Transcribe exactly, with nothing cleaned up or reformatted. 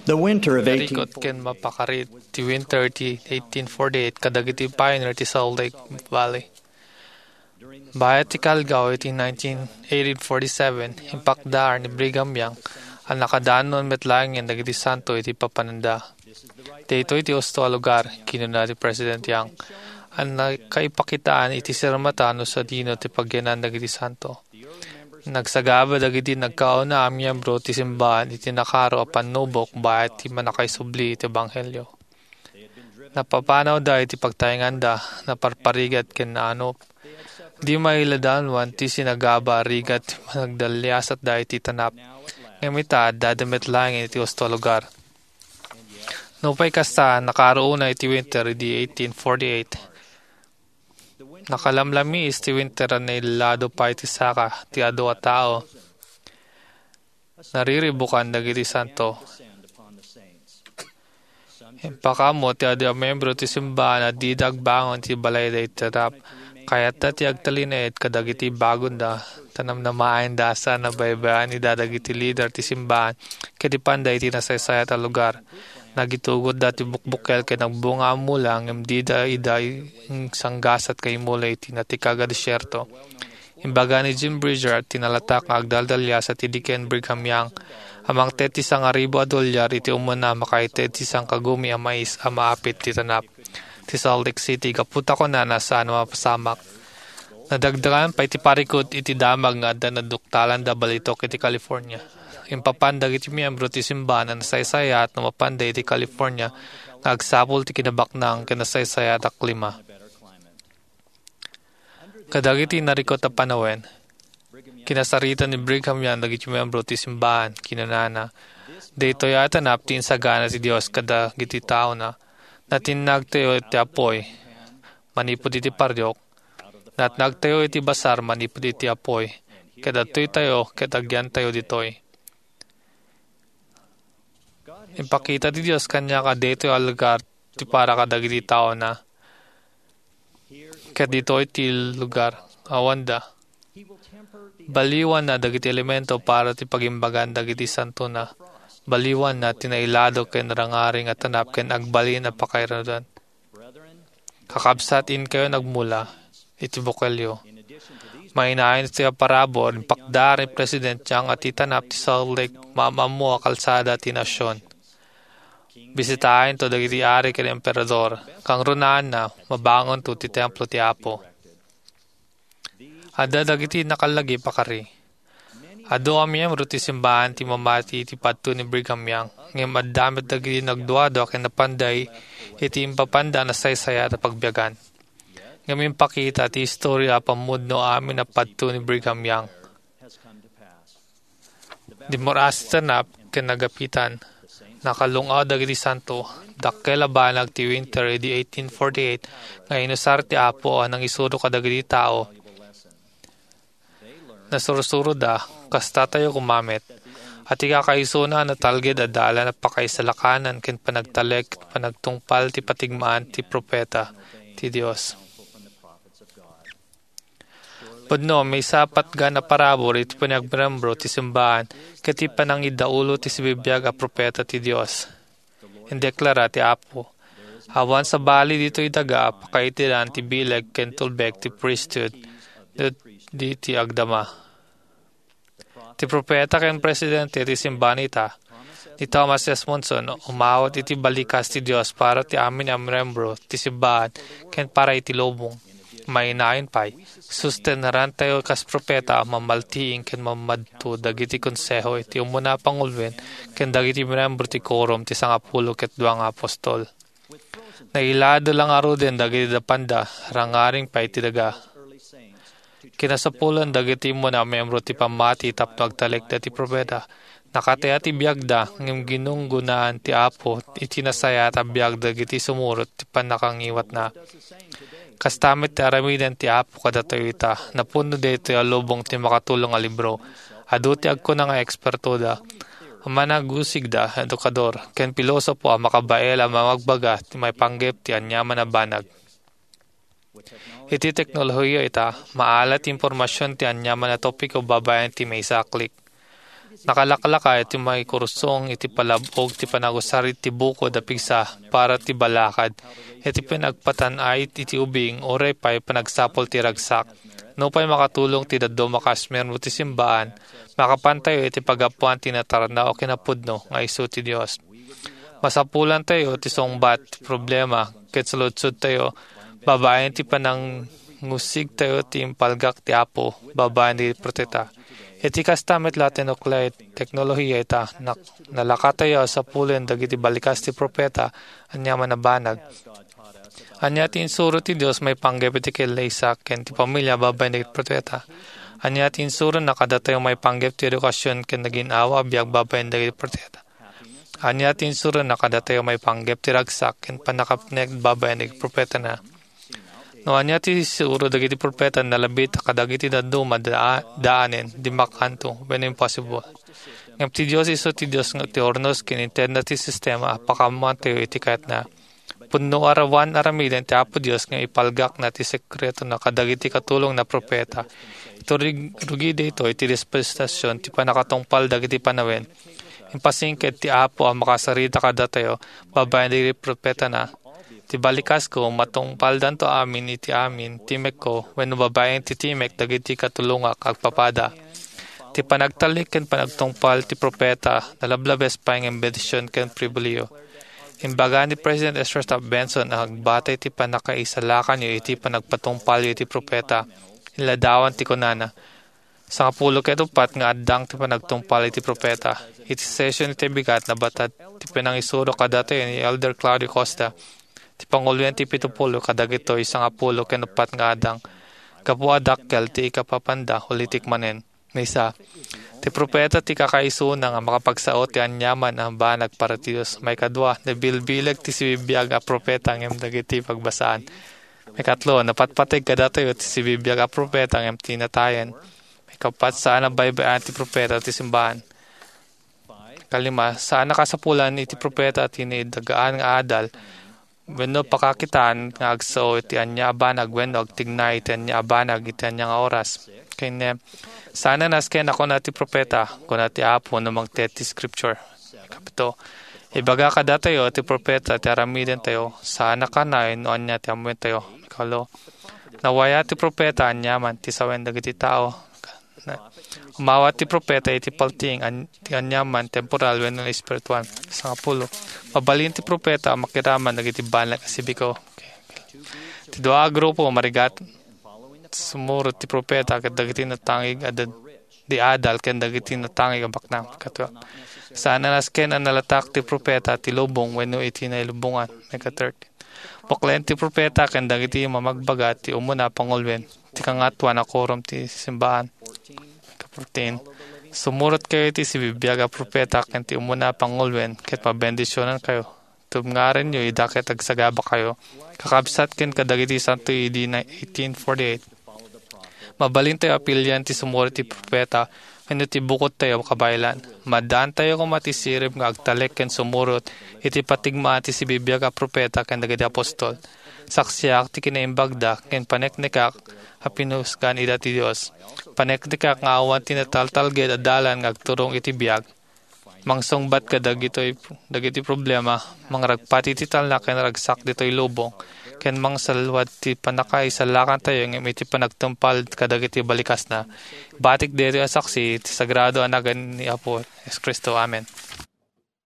The winter of Narikot eighteen forty-eight ken mapakari ti winter ti eighteen forty-eight kadagiti pioneer ti Salt Lake Valley. Bayat ti kalgaw iti nineteen, eighteen forty-seven, impakdaar ni Brigham Young a nakadanon met laengen dagiti santo iti papananda. "Daytoy ti husto a lugar," kinuna ti President Young, a nakaipakitaan iti sirmata no sadino ti pagyanan dagiti santo. Nagsagaba dagiti nagkauna a miyembro ti simbahan iti nakaro a pannubok bayat ti mannakaisubli iti ebanghelio. Napapanawda iti pagtaenganda, naparparigat ken naanop. Di mailadawan ti sinagaba a rigat ti panagdaliasatda iti tanap. Ngem ita, addada met laeng iti husto a lugar. Nupay kasta, nakaro unay ti winter idi eighteen forty-eight. Nakalamlamiis ti winter a nailado pay ti saka ti adu a tao. Nariribukan dagiti santo. Impakaammo ti adu a miyembro ti simbahan a dida agbangon iti balayda iti tanap. Kayatta ti agtalinaed kadagiti bagonda. Ta namnamaenda a saan a baybay-anida dagiti lider ti simbahan ket ipanda iti nasaysayat a lugar. Nagitugotda ti bukbukel ken agbunga a mula ngem dida ida insanggasat nga imula iti natikag a desierto. Imbaga ni Jim Bridger ti nalatak nga agdaldalias a ti diken Brigham Young a mangted ti sangaribu a dolyar iti umuna a makaited ti sangkagumi a mais a maapit ti tanap ti Salt Lake City gapu ta kunana saan a mapasamak. Nadagdagan pay ti parikut iti damag nga adda naduktalanda balitok iti California. Impapan dagiti miyembro ti simbahan a nasaysayaat no mapanda iti California nga agsapul ti kinabaknang ken nasaysayaat a klima. Kadagiti narikut a panawen, kinasarita ni Brigham Young dagiti miyembro ti simbahan. Kinunana, "Daytoy a tanap ti insagana ti Dios kadagiti taona. Natinnagtayo iti apuy manipud iti pariok. Natnagtayo iti basar manipud iti apuy. Ket adtoytayo ket agyantayo ditoy." Impakita ti Dios kaniak a daytoy a lugar ti para kadagiti taona, ket ditoy ti lugar awanda. Baliwanna dagiti elemento para ti pagimbagan dagiti santona. Baliwanna ti nailado ken rangaring a tanap ken agbalin a pakairudan. Kakabsat, inkayon agmula iti bukelyo. Mainayon iti parabur, impakdaar ni President Young a ti tanap ti Salt Lake maam-ammo a kalsada ti nasion. Bisitaentayo dagiti ari ken emperador. Kangrunaanna, mabangonto ti templo ti Apo. Adda dagiti nakalagip a kari. Adu a miyembro ti simbahan ti mamati iti padto ni Brigham Young, ngem adda met dagiti nagduadua ken napanda iti impapanda a nasaysayat a pagbiagan. Ngem impakita ti istorya a pammudno amin a padto ni Brigham Young. Dimmuras ti tanap ken nagapitan. Nakalung-aw dagiti santo. Dakkel a banag ti winter idi eighteen forty-eight nga inusar ti Apo a nangisuro kadagiti tao. Nasursuroda, kasta tayo koma met. A ti kakaisuna a natalged a dalan a pakaisalakanan ken panagtalek, panagtungpal ti patigmaan ti propeta ti Dios. Pudno, maysa a patgan a parabur iti panagmembro ti simbahan ket ti panangidaulo ti sibibiag a propeta ti Dios. Indeklara ti Apo, "Awan sabali ditoy daga a pakaitiran ti bileg ken tulbek ti priesthood no di ti agdama." Ti propeta ken presidente ti simbahan ita, ni Thomas S. Monson, umawat iti balikas ti Dios para ti amin a miyembro ti simbahan ken para iti lubong. Mainayon pay, sustennarantayo kas propeta a mamaltiing ken mamadto dagiti konseho iti umuna a panguloen ken dagiti miyembro ti Quorum ti Sangapulo ket Dua nga Apostol. Nailado la ngaruden dagiti napanda, rangaring pay ti daga. Kinasapulan dagiti umuna a miyembro ti pammati tapno agtalekda ti propeta. Nakataya ti biagda, ngem ginunggonaan ti Apo iti nasayaat a biag dagiti sumurot ti pannakangiwatna. Kasta met ti aramiden ti Apo kadatayo ita. Napuno daytoy a lubong ti makatulong a libro. Adu ti agkuna nga ekspertoda, managusigda, edukador, ken pilosopo a makabael a mangagbaga ti maipanggep ti aniaman a banag. Iti teknolohiya ita, maala ti impormasion ti aniaman a topiko babaen ti maysa a click. Nakalaklaka iti maikursong iti palab-og ti panagusar iti bukod a pigsa para ti balakad, iti panagpatan-ay iti ubing, uray pay panagsapul ti ragsak. Nupay makatulong ti dadduma a kasmer no ti simbaan, makapantayo iti paggapuan ti natarna o kinapudno nga isu ti Dios. Masapulantayo ti sungbat ti problema ket saludsodtayo babaen ti panangusigtayo ti impalgak ti Apo babaen dagiti profeta. Iti kasta met la ti nuklear teknolohiya ita, nak-, nalakatayo a sapulen dagiti balikas ti profeta aniaman a banag. Ania ti insuro ti Dios maipanggep iti kellaysa ken ti pamilia babaen dagiti profeta? Ania ti insurona kadatayo maipanggep ti edukasyon ken nagin-awa a biag babaen dagiti profeta? Ania ti insurona kadatayo maipanggep ti ragsak ken pannakapnek babaen dagiti profetana? No ania ti isuro dagiti profeta, nalabit a kadagiti dadduma da-, daanen, dimmakkanto, wenno impossible. Ngem ti Dios isu ti Dios nga ti urnos ken intedna ti sistema a pakaammoantayo iti kayatna. Pudno a rawan aramiden ti Apo Dios nga ipalgakna ti sekretona kadagiti katulongna a profeta. Iti rug-, rugi daytoy ti dispensasyon ti pannakatungpal dagiti panawen. Impasingked ti Apo a makasarita kadatayo babaen dagiti profetana. Ti balikasko, matungpaldanto amin iti amin timekko wenno babaen ti timek dagiti katulongak agpapada. Ti panagtalek ken panagtungpal ti profeta nalablabes pay nga bendision ken pribilehiyo. Imbaga ni President Ezra Taft Benson a agbatay ti pannakaisalakanyo iti panagpatungpalyo iti profeta. Inladawan ti kunana, sangapulo ket uppat nga addang ti panagtungpal iti profeta. Iti session iti bigat, nabatad ti panangisuro kadatayo ni Elder Claudio Costa, ti panguloen ti pito pulo kadagitoy sangapulo ken uppat nga addang, gapu a dakkel ti ikapapanda, ulitek manen. Maysa, ti profeta ti kakaisuna nga makapagsao ti aniaman a banag para ti Dios. Maikadua, nabilbileg ti sibibiag a profeta ngem dagiti pagbasaan. Maikatlo, napatpateg kadatayo ti sibibiag a profeta ngem ti natayen. Maikappat, saan a baybay-an ti profeta ti simbaan. Kalima, saan a kasapulan iti profeta ti naidagaan nga adal wenno pakakitaan nga agsao iti ania a banag wenno agtignay iti ania a banag iti ania nga oras. Ken, saan a nasken a kuna ti profeta, kuna ti Apo no mangted ti Scripture. Kapito, ibaga kadatayo ti profeta ti aramidentayo, saan a kanay no ania ti ammoentayo. Ikaulo, nawaya ti profeta aniaman ti sawen dagiti tao. Na, umawat ti profeta iti paltiing an-, ti aniaman, temporal wenno espiritual. Sangapulo, mabalin ti profeta a makiraman dagiti banag a sibiko. Okay. Ti dua a grupo, marigat, sumurot ti profeta ket dagiti natangig a dad-, di adal ken dagiti natangig a baknang. Katua, saan a nasken a nalatak ti profeta ti lubong wenno iti nailubongan. Maika-thirty. Puklen ti profeta ken dagiti mamagbaga ti umuna a panguloen, ti kangatoan a korom ti simbaan. Ika-fourteen, sumurotkayo iti sibibiag a profeta ken ti umuna a panguloen, ket mabendisionankayo. Tubngarenyo ida ket agsagabakayo, kakabsat ken kadagiti santo idi na eighteen forty-eight. Mabalintayo a pilian ti sumurot iti profeta wenno ti bukodtayo a kabaelan. Maaddaantayo koma ti sirib nga agtalek ken sumurot iti patigmaan ti sibibiag a profeta ken dagiti apostol. Saksiak ti kinaimbagda ken paneknekak a pinusgan ida ti Dios. Paneknekak nga awan ti nataltalged a dalan nga agturong iti biag. Mangsungbat kadagitoy, dagiti problema, mangragpati ti talna ken ragsak ditoy lubong, ken mangsalluad ti pannakaisalakantayo ngem iti panagtungpal kadagiti balikasna. Batik daytoy a saksi ti sagrado a nagan ni Apo Jesu-Cristo. Amen.